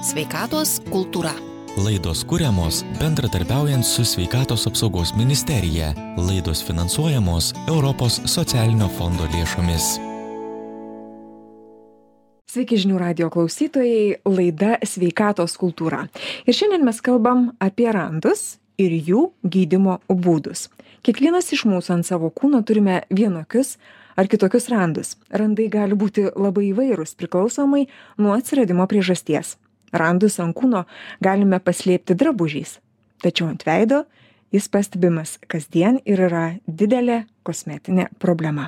Sveikatos kultūra. Laidos kuriamos bendradarbiaujant su Sveikatos apsaugos ministerija. Laidos finansuojamos Europos socialinio fondo lėšomis. Sveiki žinių radijo klausytojai, laida Sveikatos kultūra. Ir šiandien mes kalbam apie randus ir jų gydymo būdus. Kiekvienas iš mūsų ant savo kūno turime vienokius ar kitokius randus. Randai gali būti labai įvairūs priklausomai nuo atsiradimo priežasties. Randus ant kūno galime paslėpti drabužiais, tačiau ant veido jis pastebimas kasdien ir yra didelė kosmetinė problema.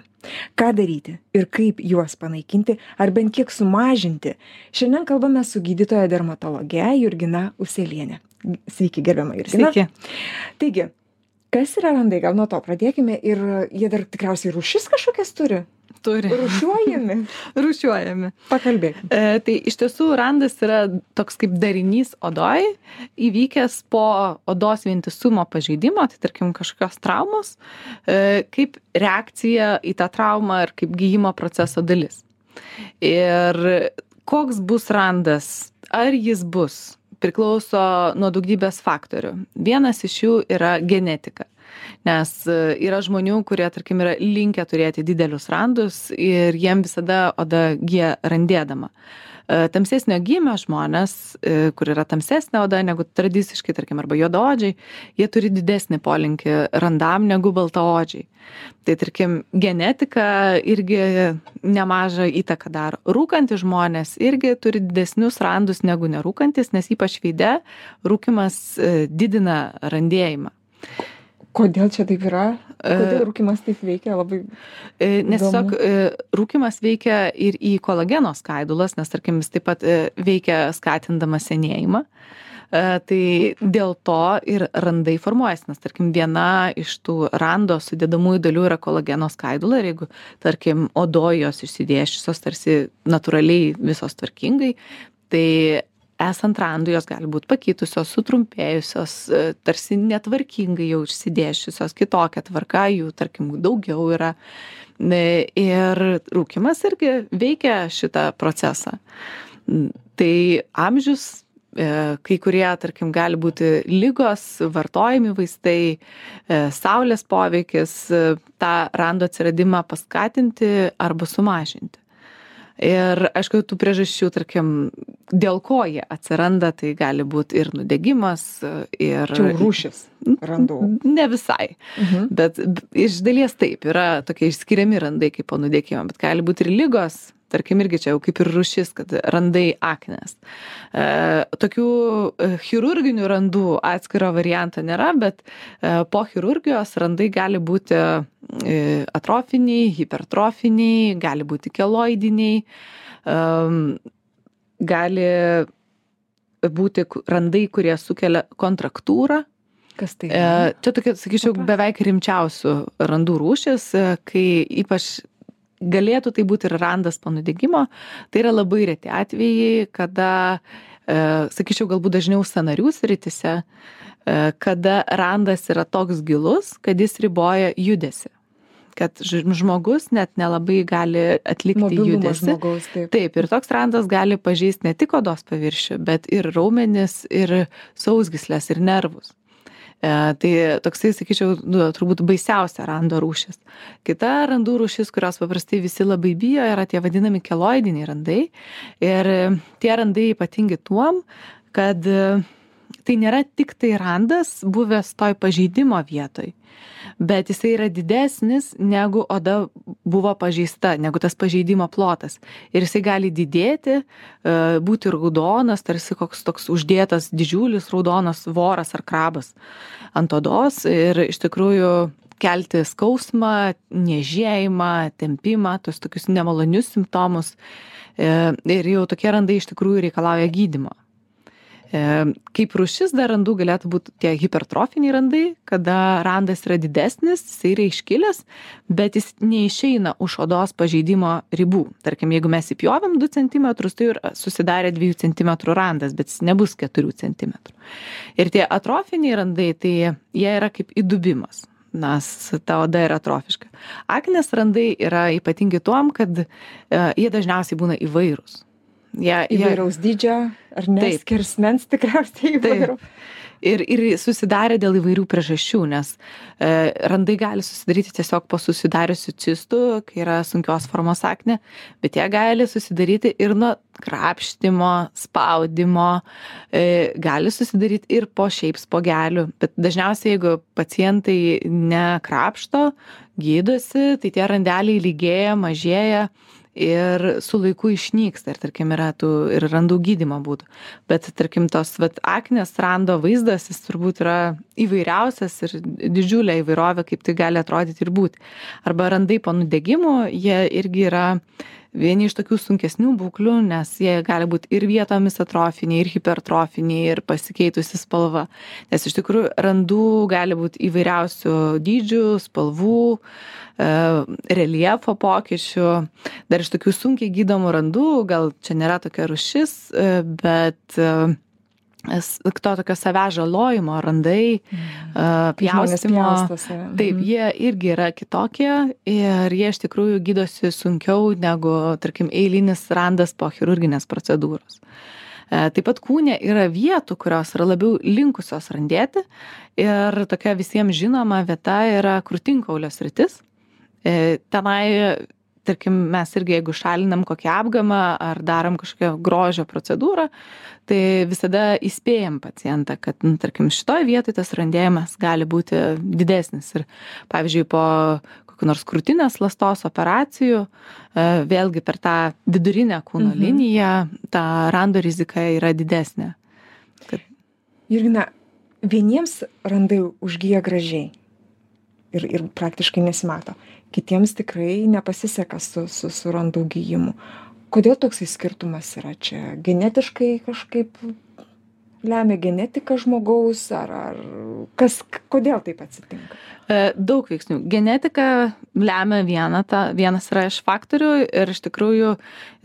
Ką daryti ir kaip juos panaikinti ar bent kiek sumažinti? Šiandien kalbame su gydytoja dermatologe Jurgina Uselienė. Sveiki, gerbiama Jurgina. Sveiki. Taigi, kas yra randai? Gal nuo to pradėkime ir jie dar tikriausiai rūšis kažkokias turi? Turi. Rūšiuojami? Rūšiuojami. Pakalbėkime. Tai iš tiesų randas yra toks kaip darinys odoj, įvykęs po odos vientisumo pažeidimo, tai tarkim kažkokios traumos, kaip reakcija į tą traumą ir kaip gyjimo proceso dalis. Ir koks bus randas, ar jis bus, priklauso nuo daugybės faktorių. Vienas iš jų yra genetika. Nes yra žmonių, kurie, tarkim, yra linkę turėti didelius randus ir jiem visada oda gyja randėdama. Tamsesnio gymio žmonės, kur yra tamsesnė oda negu tradiciškai, tarkim, arba juodaodžiai, jie turi didesnį polinkį randam negu baltaodžiai. Tai, tarkim, genetika irgi nemažą įtaką daro. Rūkantys žmonės irgi turi didesnius randus negu nerūkantis, nes ypač veide rūkymas didina randėjimą. Kodėl čia taip yra? Kodėl rūkymas taip veikia? Labai nes tiesiog rūkymas veikia ir į kolageno skaidulas, nes tarkim jis taip pat veikia skatindama senėjimą. Tai dėl to ir randai formuojasi, nes tarkim viena iš tų rando sudedamųjų dalių yra kolageno skaidula ir jeigu tarkim odojos išsidėsčiusios tarsi natūraliai visos tvarkingai, tai esant randui jos gali būti pakitusios, sutrumpėjusios, tarsi netvarkingai jau išsidėsčiusios, kitokia tvarka, jų tarkim daugiau yra. Ir rūkymas irgi veikia šitą procesą. Tai amžius, kai kurie, tarkim, gali būti ligos, vartojami vaistai, saulės poveikis, tą rando atsiradimą paskatinti arba sumažinti. Ir aišku, tų priežasčių, tarkim, dėl ko jie atsiranda, tai gali būti ir nudegimas, ir... Čia rūšis randų. Ne visai, bet iš dalies taip, yra tokie išskiriami randai kaip po nudegimo, bet gali būti ir ligos, tarkim, irgi čia jau kaip ir rūšis, kad randai aknės. Tokių chirurginių randų atskiro varianto nėra, bet po chirurgijos randai gali būti atrofiniai, hipertrofiniai, gali būti keloidiniai, gali būti randai, kurie sukelia kontraktūrą. Kas tai? Čia tokia, sakyčiau, beveik rimčiausių randų rūšis, kai ypač galėtų tai būti ir randas po nudegimo. Tai yra labai reti atvejai, kada, sakyčiau, galbūt dažniau sąnarių srityse, kada randas yra toks gilus, kad jis riboja judesį. Kad žmogus net nelabai gali atlikti mobilumas judesį. Žmogaus, taip. Taip, ir toks randas gali pažeisti ne tik odos paviršių, bet ir raumenis, ir sausgyslės, ir nervus. Tai toksai, sakyčiau, turbūt baisiausia rando rūšis. Kita randų rūšis, kurios paprastai visi labai bijo, yra tie vadinami keloidiniai randai. Ir tie randai ypatingi tuom, kad tai nėra tik tai randas buvęs toj pažeidimo vietoj, bet jisai yra didesnis negu oda buvo pažeista, negu tas pažeidimo plotas. Ir jisai gali didėti, būti raudonas, tarsi koks toks uždėtas didžiulis raudonas voras ar krabas ant odos ir iš tikrųjų kelti skausmą, niežėjimą, tempimą, tos tokius nemalonius simptomus. Ir jau tokie randai iš tikrųjų reikalauja gydymo. Kaip rūšis dar randų galėtų būti tie hipertrofiniai randai, kada randas yra didesnis, jis yra iškilęs, bet jis neišeina už odos pažeidimo ribų. Tarkim, jeigu mes įpjovėm 2 cm, tai ir susidarė 2 cm randas, bet jis nebus 4 cm. Ir tie atrofiniai randai, tai jie yra kaip įdubimas, nes ta oda yra atrofiška. Aknės randai yra ypatingi tuom, kad jie dažniausiai būna įvairūs. Įvairaus dydžio, ar ne? Taip. Skersmens tikriausiai įvairių. Ir susidarė dėl įvairių priežasčių, nes randai gali susidaryti tiesiog po susidariusių cistų, kai yra sunkios formos aknė, bet jie gali susidaryti ir nuo krapštimo, spaudimo, gali susidaryti ir po šiaip spogelių. Bet dažniausiai, jeigu pacientai nekrapšto, gydosi, tai tie randeliai lygėja, mažėja ir su laiku išnyksta. Ir tarkim yra tų ir randų gydymo būdų. Bet tarkim tos aknės rando vaizdas, jis turbūt yra įvairiausias ir didžiulė įvairovė, kaip tai gali atrodyti ir būti. Arba randai po nudegimų, jie irgi yra vieni iš tokių sunkesnių būklių, nes jie gali būti ir vietomis atrofiniai, ir hipertrofiniai, ir pasikeitusi spalva. Nes iš tikrųjų randų gali būti įvairiausių dydžių, spalvų, reljefo pokyčių. Dar iš tokių sunkiai gydomų randų, gal čia nėra tokia rūšis, bet to tokio savęs žalojimo randai, pjaustymo. Taip, jie irgi yra kitokie ir jie iš tikrųjų gydosi sunkiau negu, tarkim, eilinis randas po chirurginės procedūros. Taip pat kūne yra vietų, kurios yra labiau linkusios randėti ir tokia visiems žinoma vieta yra krūtinkaulio sritis. Tenai, tarkim, mes irgi, jeigu šalinam kokią apgamą ar darom kažkokią grožio procedūrą, tai visada įspėjam pacientą, kad, tarkim, šitoj vietoj tas randėjimas gali būti didesnis. Ir, pavyzdžiui, po kokių nors krūtinės ląstos operacijų, vėlgi per tą vidurinę kūno liniją, ta rando rizika yra didesnė. Jurgina, vieniems randai užgyja gražiai ir praktiškai nesimato. Kitiems tikrai nepasiseka su randų gyjimu. Kodėl toksai skirtumas yra čia? Genetiškai kažkaip lemia genetika žmogaus ar kodėl taip atsitinka? Daug veiksnių. Genetika lemia vienas yra iš faktorių ir iš tikrųjų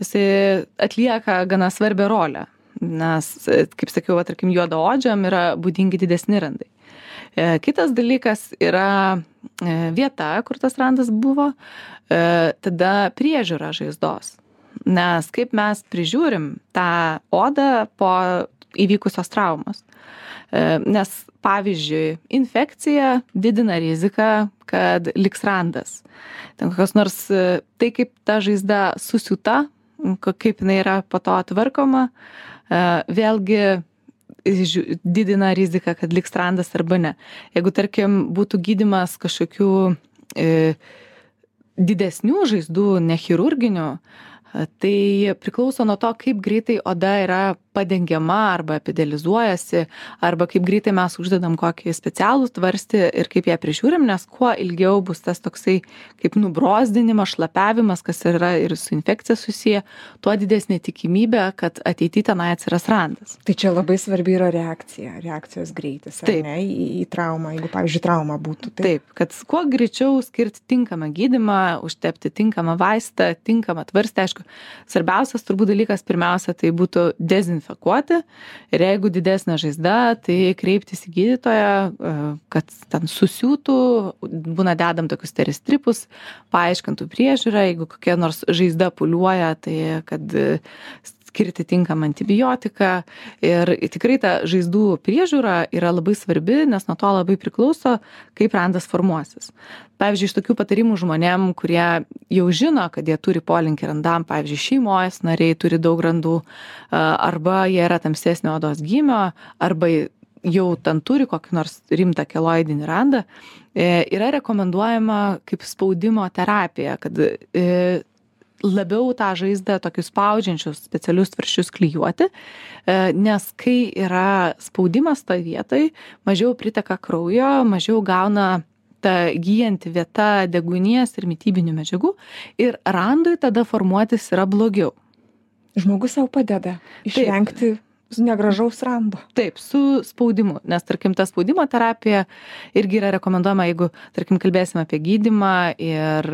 jisai atlieka gana svarbią rolę. Nes, kaip sakiau, tarkim, juodaodžiam yra būdingi didesni randai. Kitas dalykas yra vieta, kur tas randas buvo, tada priežiūra žaizdos. Nes kaip mes prižiūrim tą odą po įvykusios traumos. Nes, pavyzdžiui, infekcija didina riziką, kad liks randas. Ten kokios nors, tai kaip ta žaizda susiūta, kaip jinai yra po to tvarkoma, vėlgi didina riziką, kad liks randas arba ne. Jeigu, tarkim, būtų gydymas kažkokių didesnių žaizdų, nechirurginių, tai priklauso nuo to, kaip greitai oda yra padengiama arba epidelizuojasi, arba kaip greitai mes uždedam kokį specialų tvarstį ir kaip ją prižiūrim, nes kuo ilgiau bus tas toksai kaip nubrozdinimas, šlapiavimas, kas yra ir su infekcija susiję, tuo didesnė tikimybė, kad ateityje tenai atsiras randas. Tai čia labai svarbi yra reakcijos greitis, ar ne, į traumą, jeigu, pavyzdžiui, trauma būtų. Taip, kad kuo greičiau skirti tinkamą gydymą, užtepti tinkamą vaistą, tinkamą tvarstį, aišku, svarbiausias turbūt dalykas pirmiausia, tai būtų dezinfekuoti. Ir jeigu didesnė žaizda, tai kreiptis į gydytoją, kad ten susiūtų, būna dedam tokius teristripus, paaiškintų priežiūrą, jeigu kokia nors žaizda pūliuoja, tai kad skirti tinkamą antibiotiką. Ir tikrai ta žaizdų priežiūra yra labai svarbi, nes nuo to labai priklauso, kaip randas formuosis. Pavyzdžiui, iš tokių patarimų žmonėm, kurie jau žino, kad jie turi polinkį randam, pavyzdžiui, šeimos nariai turi daug randų, arba jie yra tamsesnio odos gymio, arba jau ten turi kokį nors rimtą keloidinį randą, yra rekomenduojama kaip spaudimo terapija, kad labiau tą žaizdą tokius spaudžiančius specialius tvarsčius klijuoti, nes kai yra spaudimas toj vietoj, mažiau priteka kraujo, mažiau gauna ta gyjanti vieta deguonies ir mitybinių medžiagų ir randui tada formuotis yra blogiau. Žmogus savo padeda išvengti negražaus rando. Taip, su spaudimu, nes, tarkim, ta spaudimo terapija irgi yra rekomenduojama, jeigu, tarkim, kalbėsime apie gydymą ir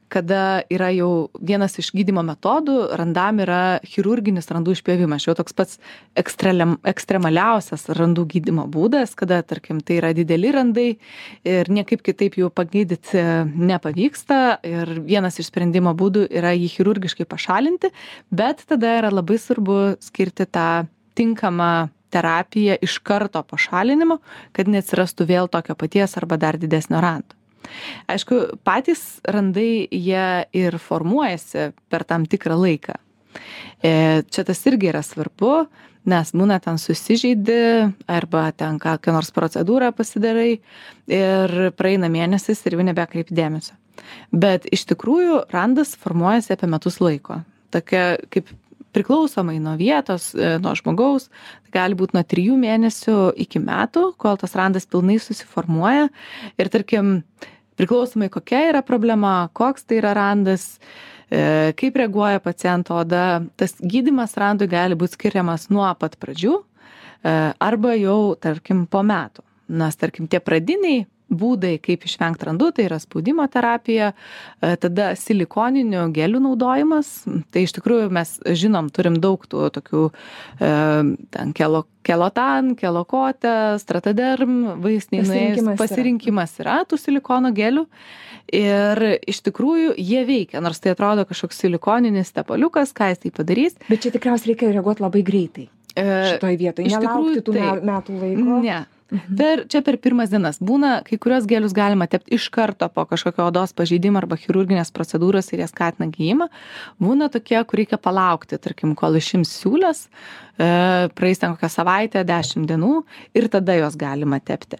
kada yra jau vienas iš gydymo metodų, randam yra chirurginis randų išpjovimas. Jau toks pats ekstremaliausias randų gydymo būdas, kada, tarkim, tai yra dideli randai ir niekaip kitaip jų pagydyti nepavyksta ir vienas iš sprendimo būdų yra jį chirurgiškai pašalinti, bet tada yra labai svarbu skirti tą tinkamą terapiją iš karto po šalinimo, kad neatsirastų vėl tokio paties arba dar didesnio rando. Aišku, patys randai jie ir formuojasi per tam tikrą laiką. Čia tas irgi yra svarbu, nes būna ten susižeidi arba ten kokią nors procedūrą pasidarai ir praeina mėnesis ir jau nebekreipi dėmesio. Bet iš tikrųjų randas formuojasi apie metus laiko. Tokia kaip priklausomai nuo vietos, nuo žmogaus, tai gali būti nuo 3 mėnesių iki metų, kol tas randas pilnai susiformuoja ir tarkim, priklausomai kokia yra problema, koks tai yra randas, kaip reaguoja paciento oda, tas gydymas randui gali būti skiriamas nuo pat pradžių arba jau, tarkim, po metų. Nes, tarkim, tie pradiniai būdai, kaip išvengti randų, tai yra spaudimo terapija, tada silikoninių gelių naudojimas. Tai iš tikrųjų mes žinom, turim daug tų tokių ten kelotan, kelokotė, strataderm, vaistiniai pasirinkimas yra tų silikono gelių. Ir iš tikrųjų jie veikia, nors tai atrodo kažkoks silikoninis tepaliukas, ką jis tai padarys. Bet čia tikriausiai reikia reaguoti labai greitai šitoj vietoj, nelaukti tų metų laiko. Ne. Čia per pirmas dienas būna, kai kurios gelius galima tepti iš karto po kažkokio odos pažeidimo arba chirurginės procedūros ir jie skatina gijimą. Būna tokie, kur reikia palaukti, tarkim, kol išims siūlės, praeis ten kokią savaitę, 10 dienų ir tada jos galima tepti.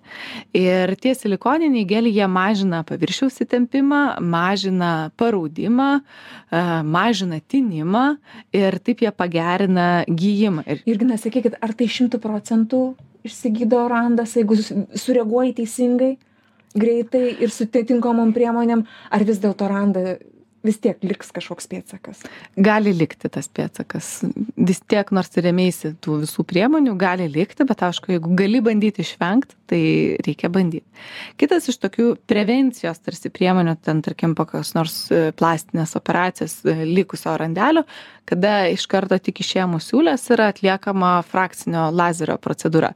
Ir tie silikoniniai geliai, jie mažina paviršiaus įtempimą, mažina paraudimą, mažina tinimą ir taip jie pagerina gijimą. Jurgina, sakykit, ar tai 100% išsigydo randas, jeigu sureaguoji teisingai, greitai ir su tinkamom priemonėm, ar vis dėlto randa vis tiek liks kažkoks pėdsakas? Gali likti tas pėdsakas. Vis tiek, nors rėmeisi tų visų priemonių, gali likti, bet aišku, jeigu gali bandyti išvengti, tai reikia bandyti. Kitas iš tokių prevencijos tarsi priemonių, ten, tarkim, kokios nors plastinės operacijos likusio randelio, kada iš karto tik išėmus siūlės yra atliekama frakcinio lazerio procedūra.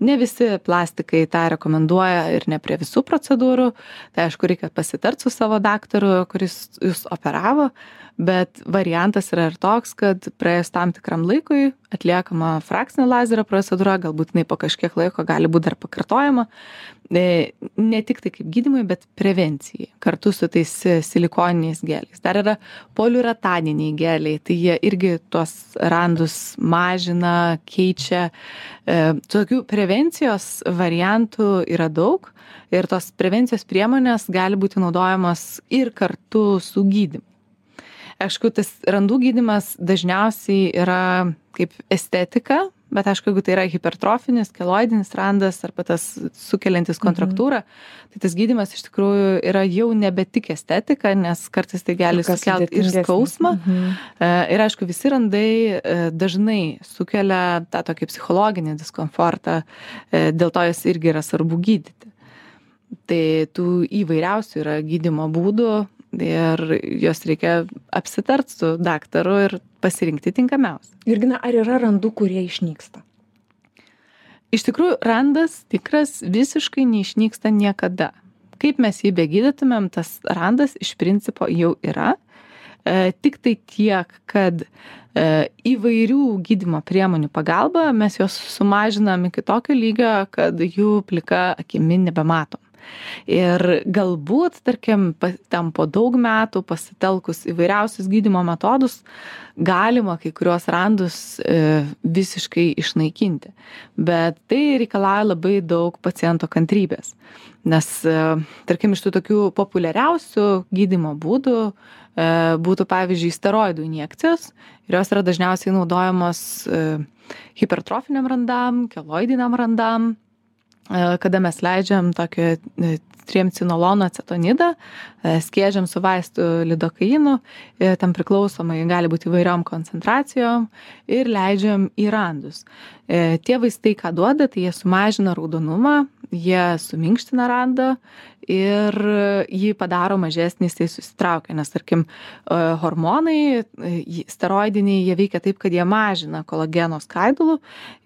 Ne visi plastikai tą rekomenduoja ir ne prie visų procedūrų. Tai aišku, reikia pasitarti su savo daktaru, kuris jūs operavo, bet variantas yra ir toks, kad praėjus tam tikram laikui atliekama frakcinio lazerio procedūra, galbūt jinai po kažkiek laiko gali būti dar pakartojama. Ne tik tai kaip gydymui, bet prevencijai, kartu su tais silikoniniais geliais. Dar yra poliurataniniai geliai, tai jie irgi tuos randus mažina, keičia. Tokių prevencijos variantų yra daug ir tos prevencijos priemonės gali būti naudojamos ir kartu su gydymu. Aišku, tas randų gydymas dažniausiai yra kaip estetika, bet aišku, jeigu tai yra hipertrofinis, keloidinis randas arba tas sukeliantis kontraktūrą, tai tas gydymas iš tikrųjų yra jau nebe tik estetika, nes kartais tai gali sukelti ir skausmą. Ir aišku, visi randai dažnai sukelia tą tokį psichologinį diskomfortą, dėl to jas irgi yra svarbu gydyti. Tai tų įvairiausių yra gydymo būdų ir jos reikia apsitart su daktaru ir pasirinkti tinkamiausią. Jurgina, ar yra randų, kurie išnyksta? Iš tikrųjų, randas tikras visiškai neišnyksta niekada. Kaip mes jį begydytumėm, tas randas iš principo jau yra. Tik tai tiek, kad įvairių gydymo priemonių pagalba mes juos sumažinam iki tokio lygio, kad jų plika akimi nebematom. Ir galbūt, tarkim, ten po daug metų pasitelkus įvairiausius gydymo metodus, galima kai kuriuos randus visiškai išnaikinti. Bet tai reikalauja labai daug paciento kantrybės. Nes, tarkim, iš tų tokių populiariausių gydymo būdų būtų, pavyzdžiui, steroidų injekcijos. Ir jos yra dažniausiai naudojamos hipertrofiniam randam, keloidiniam randam, kada mes leidžiam tokį triamcinolono acetonidą, skiedžiam su vaistu lidokainu, tam priklausomai gali būti įvairiom koncentracijom ir leidžiam į randus. Tie vaistai, ką duoda, tai jie sumažina raudonumą jie suminkština randą ir jį padaro mažesnį, jisai susitraukia, nes tarkim hormonai steroidiniai, jie veikia taip, kad jie mažina kolageno skaidulų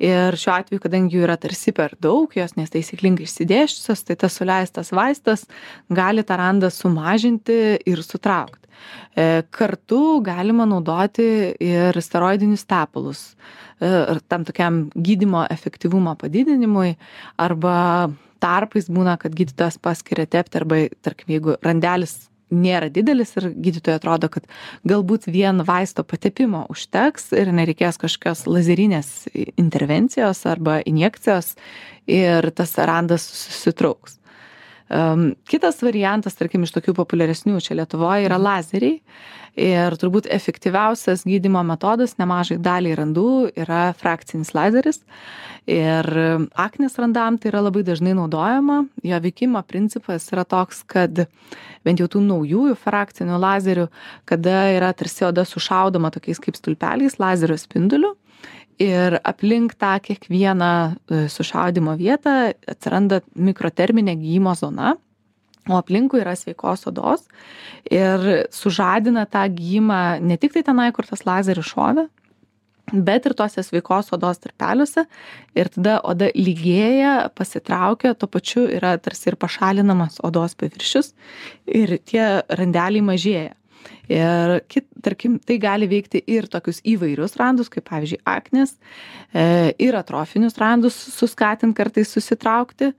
ir šiuo atveju, kadangi jų yra tarsi per daug, jos nestaisyklingai išsidėščiusios, tai tas suleistas vaistas gali tą randą sumažinti ir sutraukti. Kartu galima naudoti ir steroidinius tepalus tam tokiam gydymo efektyvumo padidinimui arba tarpais būna, kad gydytojas paskiria tepti arba, tarkim, jeigu randelis nėra didelis ir gydytojai atrodo, kad galbūt vien vaisto patepimo užteks ir nereikės kažkokios lazerinės intervencijos arba injekcijos ir tas randas susitrauks. Kitas variantas, tarkim, iš tokių populiaresnių čia Lietuvoje yra lazeriai ir turbūt efektyviausias gydymo metodas nemažai daliai randų yra frakcinis lazeris ir aknės randam tai yra labai dažnai naudojama. Jo veikimo principas yra toks, kad bent jau tų naujųjų frakcinių lazerių, kada yra tarsi oda sušaudoma tokiais kaip stulpeliais lazerio spinduliu, ir aplink tą kiekvieną sušaudymo vietą atsiranda mikroterminė gijimo zona, o aplinkui yra sveikos odos ir sužadina tą gijimą ne tik tai tenai, kur tas lazeris šovė, bet ir tose sveikos odos tarpeliuose ir tada oda lygėja, pasitraukia, tuo pačiu yra tarsi ir pašalinamas odos paviršius ir tie randeliai mažėja. Ir tarkim, tai gali veikti ir tokius įvairius randus, kaip pavyzdžiui aknės, ir atrofinius randus suskatint kartais susitraukti.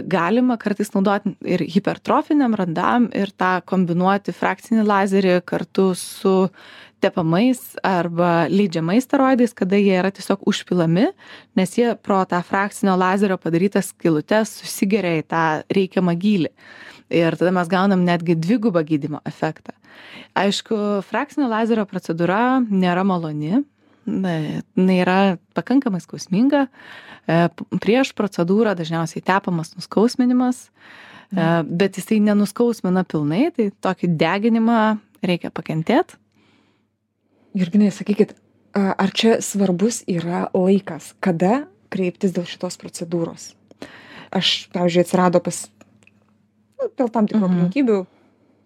Galima kartais naudoti ir hipertrofiniam randam ir tą kombinuoti frakcinį lazerį kartu su tepamais arba leidžiamais steroidais, kada jie yra tiesiog užpilami, nes jie pro tą frakcinio lazerio padarytas skylutes susigeria į tą reikiamą gylį. Ir tada mes gaunam netgi dvigubą gydymo efektą. Aišku, frakcinio lazerio procedūra nėra maloni, jinai yra pakankamai skausminga. Prieš procedūrą dažniausiai tepamas nuskausminimas, bet jisai nenuskausmina pilnai, tai tokį deginimą reikia pakentėti. Jurginai, sakykit, ar čia svarbus yra laikas, kada kreiptis dėl šitos procedūros? Aš, pavyzdžiui, atsirado dėl tam tikrų aplinkybių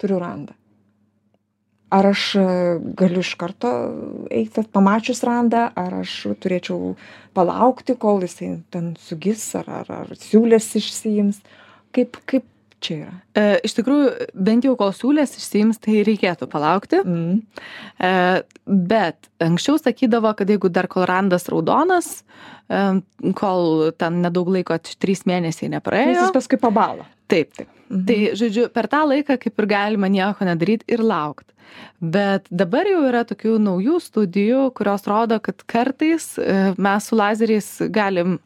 turiu randą. Ar aš galiu iš karto eiti pamačius randą, ar aš turėčiau palaukti, kol jisai ten sugis, ar siūlės išsiims? Kaip čia yra? Iš tikrųjų, bent jau kol siūlės išsiims, tai reikėtų palaukti. Bet anksčiau sakydavo, kad jeigu dar kol randas raudonas, kol ten nedaug laiko, 3 mėnesiai nepraėjo. Jis paskui pabalo. Taip. Tai, žodžiu, per tą laiką kaip ir galima nieko nedaryti ir laukti. Bet dabar jau yra tokių naujų studijų, kurios rodo, kad kartais mes su lazeriais galim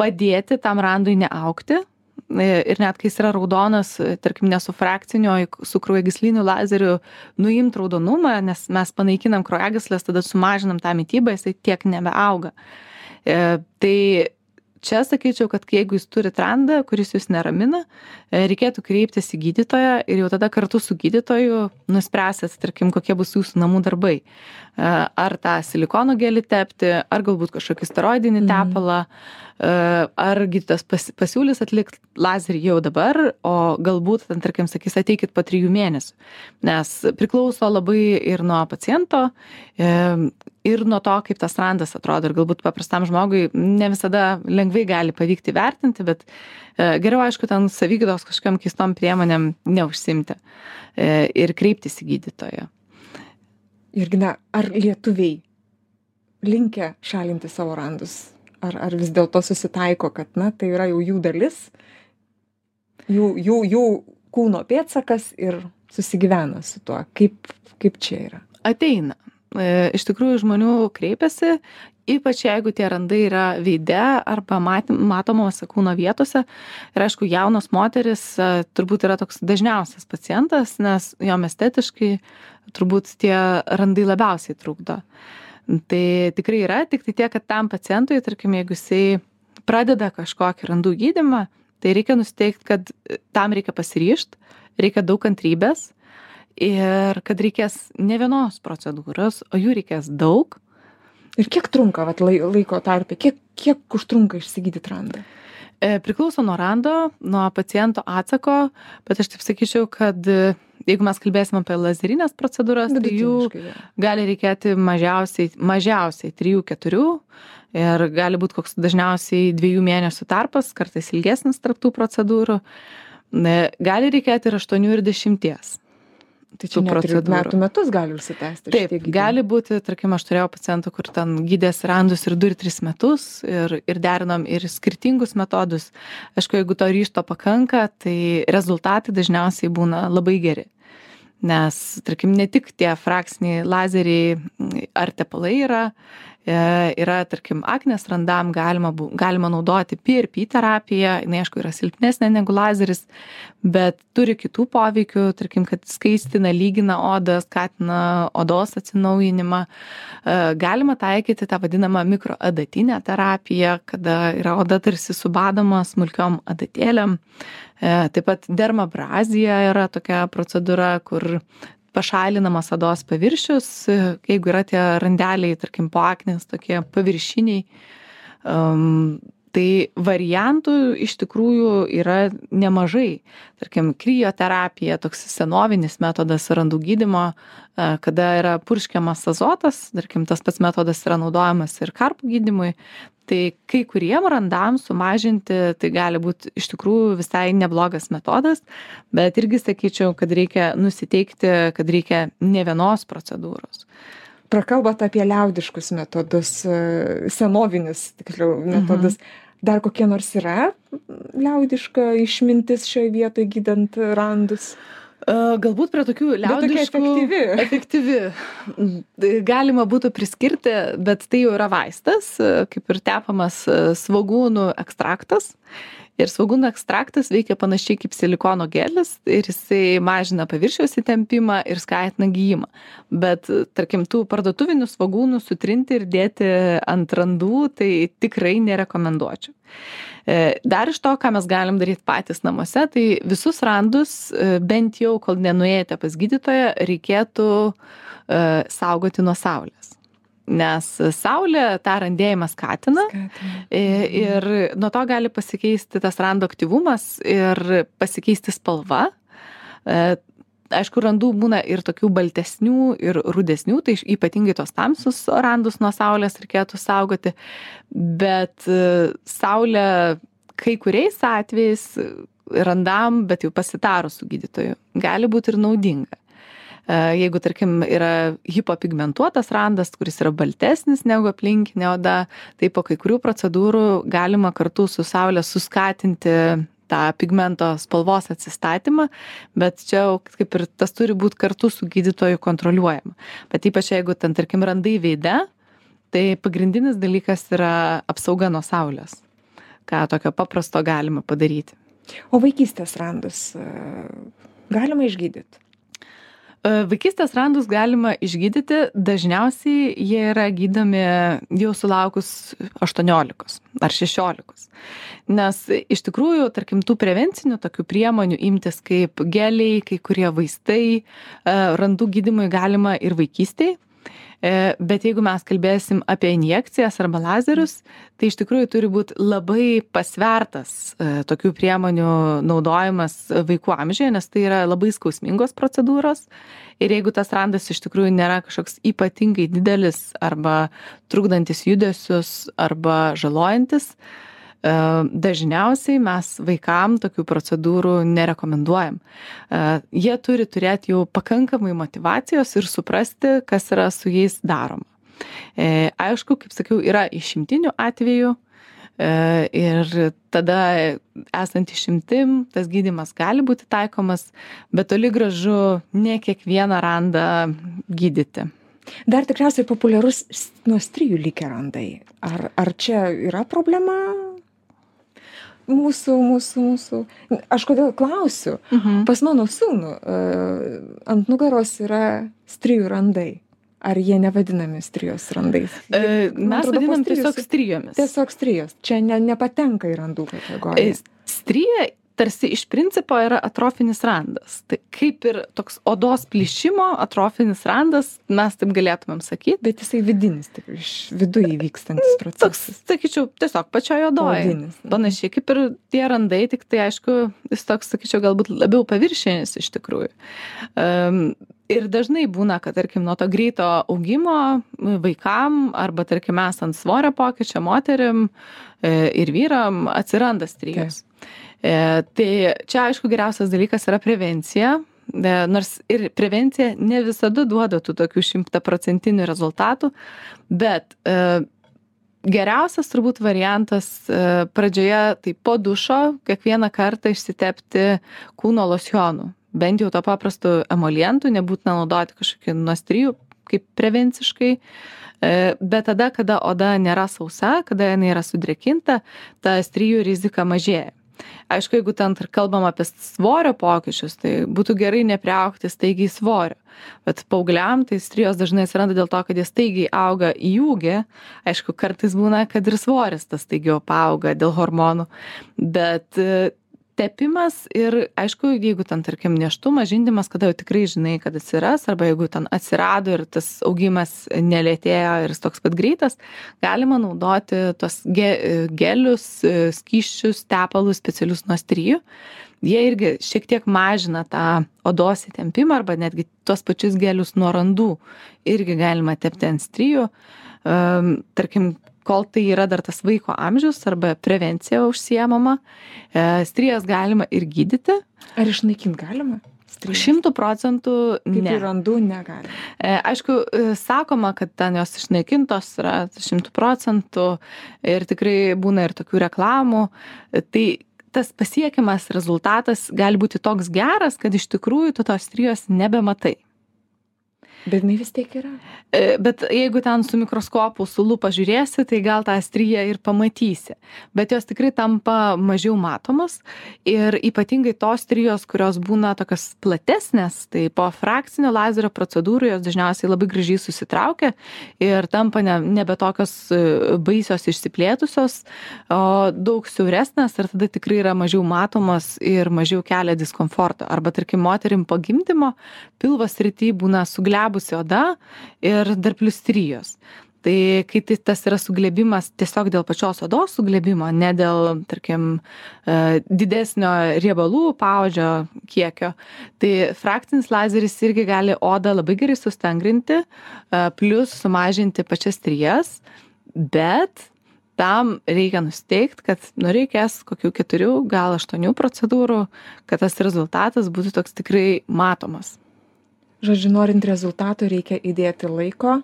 padėti tam randui neaugti. Ir net kai jis yra raudonas, tarkim, ne su frakciniu, su kraujagysliniu lazeriu nuimt raudonumą, nes mes panaikinam kraujagyslės, tada sumažinam tą mitybą, jisai tiek nebeauga. Tai čia sakyčiau, kad jeigu jūs turit randą, kuris jūs neramina, reikėtų kreiptis į gydytoją ir jau tada kartu su gydytoju nuspręsit, tarkim, kokie bus jūsų namų darbai. Ar tą silikono gelį tepti, ar galbūt kažkokį steroidinį tepalą, ar gydytojas pasiūlys atlikti lazerį jau dabar, o galbūt, tarkim, sakys, ateikit po 3 mėnesių. Nes priklauso labai ir nuo paciento, ir nuo to, kaip tas randas atrodo. Ir galbūt paprastam žmogui ne visada lengvai gali pavykti vertinti, bet geriau, aišku, ten savigydos kažkokiam keistom priemonėm neužsimti ir kreiptis į gydytoją. Jurgina, ar lietuviai linkę šalinti savo randus? Ar vis dėlto susitaiko, kad tai yra jau jų dalis, jų kūno pėdsakas ir susigyvena su tuo? Kaip čia yra? Ateina. Iš tikrųjų, žmonių kreipiasi, ypač jeigu tie randai yra veide arba matomose kūno vietose. Ir aišku, jaunos moteris turbūt yra toks dažniausias pacientas, nes jom estetiškai turbūt tie randai labiausiai trukdo. Tai tikrai yra, tik tai tiek, kad tam pacientui, tarkim, jeigu jisai pradeda kažkokį randų gydymą, tai reikia nusiteikti, kad tam reikia pasiryžti, reikia daug kantrybės ir kad reikės ne vienos procedūros, o jų reikės daug. Ir kiek trunka laiko tarpe, kiek užtrunka išsigydyti randą? Priklauso nuo rando, nuo paciento atsako, bet aš taip sakyčiau, kad jeigu mes kalbėsim apie lazerinės procedūras, tai jų gali reikėti mažiausiai 3-4 ir gali būti koks dažniausiai 2 mėnesių tarpas, kartais ilgesnis tarp tų procedūrų. Gali reikėti ir 8 ir 10. Tai čia net metus gali užsitęsti. Taip, gali būti, tarkim, aš turėjau pacientų, kur ten gydės randus ir 2 ir 3 metus ir derinom ir skirtingus metodus. Aišku, jeigu to ryžto pakanka, tai rezultatai dažniausiai būna labai geri. Nes, tarkim, ne tik tie frakciniai lazeriai ar tepalai yra, tarkim, aknės randam galima naudoti PRP terapiją, jinai, aišku, yra silpnesnė negu lazeris, bet turi kitų poveikių, tarkim, kad skaistina, lygina odą, skatina odos atsinaujinimą. Galima taikyti tą vadinamą mikroadatinę terapiją, kada yra oda tarsi subadoma smulkiom adatėlėm. Taip pat dermabrazija yra tokia procedūra, kur pašalinamas odos paviršius, jeigu yra tie randeliai, tarkim, po aknės, tokie paviršiniai. Tai variantų iš tikrųjų yra nemažai. Tarkim, krioterapija, toks senovinis metodas randų gydymo, kada yra purškiamas azotas, tarkim, tas pats metodas yra naudojamas ir karpų gydymui. Tai kai kuriem randam sumažinti, tai gali būti iš tikrųjų visai neblogas metodas, bet irgi sakyčiau, kad reikia nusiteikti, kad reikia ne vienos procedūros. Prakalbat apie liaudiškus metodus, senovinius tiksliau metodus. Dar kokie nors yra liaudiška išmintis šioje vietoje gydant randus? Galbūt prie tokių liaudiškų efektyvi. Galima būtų priskirti, bet tai jau yra vaistas, kaip ir tepamas svogūnų ekstraktas. Ir svogūnų ekstraktas veikia panašiai kaip silikono gelis ir jisai mažina paviršiaus įtempimą ir skatina gijimą. Bet, tarkim, tų parduotuvinių svogūnų sutrinti ir dėti ant randų, tai tikrai nerekomenduočiau. Dar iš to, ką mes galim daryti patys namuose, tai visus randus, bent jau, kol nenuėjote pas gydytoją, reikėtų saugoti nuo saulės. Nes saulė tą randėjimą skatina ir nuo to gali pasikeisti tas rando aktyvumas ir pasikeisti spalva. Aišku, randų būna ir tokių baltesnių ir rudesnių, tai ypatingai tos tamsius randus nuo saulės reikėtų saugoti, bet saulė kai kuriais atvejais randam, bet jau pasitarus su gydytoju, gali būti ir naudinga. Jeigu, tarkim, yra hipopigmentuotas randas, kuris yra baltesnis negu aplinkinė oda, tai po kai kurių procedūrų galima kartu su saulė suskatinti tą pigmento spalvos atsistatymą, bet čia kaip ir tas turi būti kartu su gydytoju kontroliuojama. Bet ypač jeigu ten, tarkim, randai veide, tai pagrindinis dalykas yra apsauga nuo saulės, ką tokio paprasto galima padaryti. O vaikystės randus galima išgydyti? Vaikystės randus galima išgydyti, dažniausiai jie yra gydomi jau sulaukus 18 ar 16. Nes iš tikrųjų, tarkim, tų prevencinių tokių priemonių imtis kaip geliai, kai kurie vaistai, randų gydymui galima ir vaikystėje. Bet jeigu mes kalbėsim apie injekcijas arba lazerius, tai iš tikrųjų turi būti labai pasvertas tokių priemonių naudojimas vaikų amžiuje, nes tai yra labai skausmingos procedūros. Ir jeigu tas randas iš tikrųjų nėra kažkoks ypatingai didelis arba trukdantis judesius arba žalojantis, dažniausiai mes vaikam tokių procedūrų nerekomenduojam. Jie turi turėti jau pakankamai motyvacijos ir suprasti, kas yra su jais daroma. Aišku, kaip sakiau, yra išimtinių atvejų ir tada esant išimtim, tas gydymas gali būti taikomas, bet toli gražu ne kiekvieną randą gydyti. Dar tikriausiai populiarus nuo strijų likę randai. Ar čia yra problema? Mūsų. Aš kodėl klausiu? Pas mano sūnų ant nugaros yra strijų randai. Ar jie nevadinami strijos randais? Mes vadinam tiesiog strijomis. Tiesiog strijos. Čia nepatenka į randų kategoriją. Strija tarsi iš principo yra atrofinis randas. Tai kaip ir toks odos plyšimo atrofinis randas, mes taip galėtumėm sakyti. Bet jisai vidinis, tik iš viduje vykstantis procesas. Toks, sakyčiau, tiesiog pačioje odoje. Panašiai kaip ir tie randai, tik tai aišku, jis toks, sakyčiau, galbūt labiau paviršinis iš tikrųjų. Ir dažnai būna, kad, tarkim, nuo to greito augimo vaikam arba, tarkim, esant svorio pokyčio moterim ir vyram atsiranda strijos. Tai čia, aišku, geriausias dalykas yra prevencija, nors ir prevencija ne visada duoda tų tokių 100% rezultatų, bet geriausias turbūt variantas pradžioje tai po dušo kiekvieną kartą išsitepti kūno losjonų. Bent jau to paprasto emolientų, nebūtina naudoti kažkokį nuo strijų kaip prevenciškai, bet tada, kada oda nėra sausa, kada jinai yra sudrėkinta, ta strijų rizika mažėja. Aišku, jeigu ten kalbam apie svorio pokyčius, tai būtų gerai nepriaugti staigiai svorio. Bet paaugliam tai strijos dažnai atsiranda dėl to, kad jie staigiai auga į ūgį. Aišku, kartais būna, kad ir svoris tas staigiau paauga dėl hormonų. Bet tepimas ir, aišku, jeigu ten, tarkim, nėštumas, žindymas, kada jau tikrai žinai, kad atsiras, arba jeigu ten atsirado ir tas augimas nelėtėjo ir jis toks pat greitas, galima naudoti tos gelius, skysčius, tepalus specialius nuo strijų. Jie irgi šiek tiek mažina tą odos įtempimą arba netgi tuos pačius gelius nuo randų irgi galima tepti ant strijų. Tarkim, kol tai yra dar tas vaiko amžius arba prevencija užsiemama, strijas galima ir gydyti. Ar išnaikinti galima? 100% ne. Kaip ir randų negalima. Aišku, sakoma, kad ten jos išnaikintos yra 100% ir tikrai būna ir tokių reklamų. Tai tas pasiekiamas rezultatas gali būti toks geras, kad iš tikrųjų tu tos strijos nebematai. Bet jinai vis tiek yra. Bet jeigu ten su mikroskopu, su lupa žiūrėsi, tai gal tą striją ir pamatysi. Bet jos tikrai tampa mažiau matomos ir ypatingai tos strijos, kurios būna tokios platesnės, tai po frakcinio lazerio procedūrų jos dažniausiai labai gražiai susitraukia ir tampa nebe tokios baisios išsiplėtusios, o daug siauresnės ir tada tikrai yra mažiau matomos ir mažiau kelia diskomforto. Arba, tarkim, moterim po gimdymo pilvo srity būna suglebusi oda ir dar plius strijos. Tai kai tas yra suglebimas tiesiog dėl pačios odos suglebimo, ne dėl, tarkim, didesnio riebalų paodžio kiekio, tai frakcinis lazeris irgi gali odą labai gerai sustangrinti, plius sumažinti pačias strijas, bet tam reikia nusteikti, kad reikės kokių 4, gal 8 procedūrų, kad tas rezultatas būtų toks tikrai matomas. Žodžiu, norint rezultato reikia įdėti laiko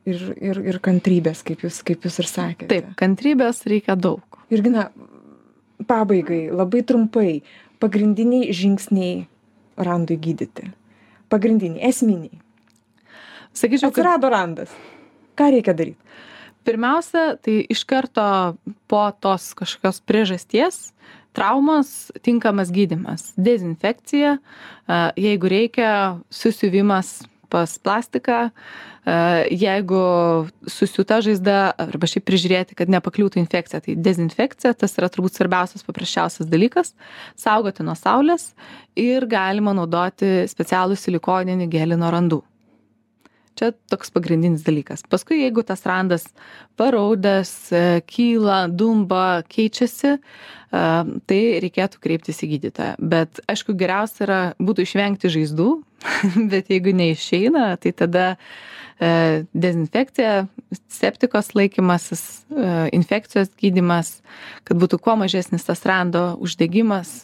ir kantrybės, kaip jūs ir sakėte. Taip, kantrybės reikia daug. Jurgina, pabaigai, labai trumpai, pagrindiniai žingsniai randui gydyti. Pagrindiniai, esminiai. Sakyčiau, atsirado randas. Ką reikia daryti? Pirmiausia, tai iš karto po tos kažkokios priežasties traumos tinkamas gydymas. Dezinfekcija, jeigu reikia, susiuvimas pas plastiką, jeigu susiūta žaizda arba šiaip prižiūrėti, kad nepakliūtų infekcija, tai dezinfekcija, tas yra turbūt svarbiausias, paprasčiausias dalykas, saugoti nuo saulės ir galima naudoti specialų silikoninį gelį nuo randų. Čia toks pagrindinis dalykas. Paskui, jeigu tas randas paraudęs, kyla, dumba, keičiasi, tai reikėtų kreiptis į gydytoją. Bet, aišku, geriausia būtų išvengti žaizdų, bet jeigu neišeina, tai tada dezinfekcija, septikos laikymasis, infekcijos gydymas, kad būtų kuo mažesnis tas rando uždegimas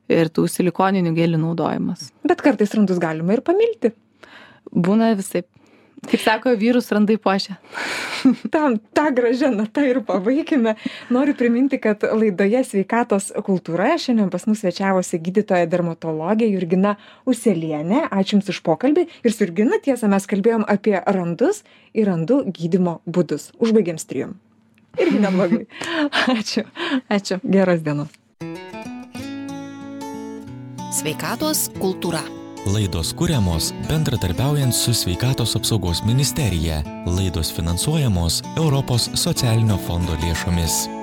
ir tų silikoninių gelių naudojimas. Bet kartais randus galima ir pamilti. Būna visaip. Kaip sako, vyrus randai puošia. Ta gražia nata ir pabaikime. Noriu priminti, kad laidoje Sveikatos kultūra šiandien pas mus svečiavosi gydytoja dermatologė Jurgina Uselienė. Ačiū Jums už pokalbį. Ir su Jurgina, tiesa, mes kalbėjom apie randus ir randų gydymo būdus. Užbaigėm strijom. Irgi neblogai. Ačiū. Ačiū. Geros dienos. Sveikatos kultūra. Laidos kuriamos bendradarbiaujant su Sveikatos apsaugos ministerija. Laidos finansuojamos Europos socialinio fondo lėšomis.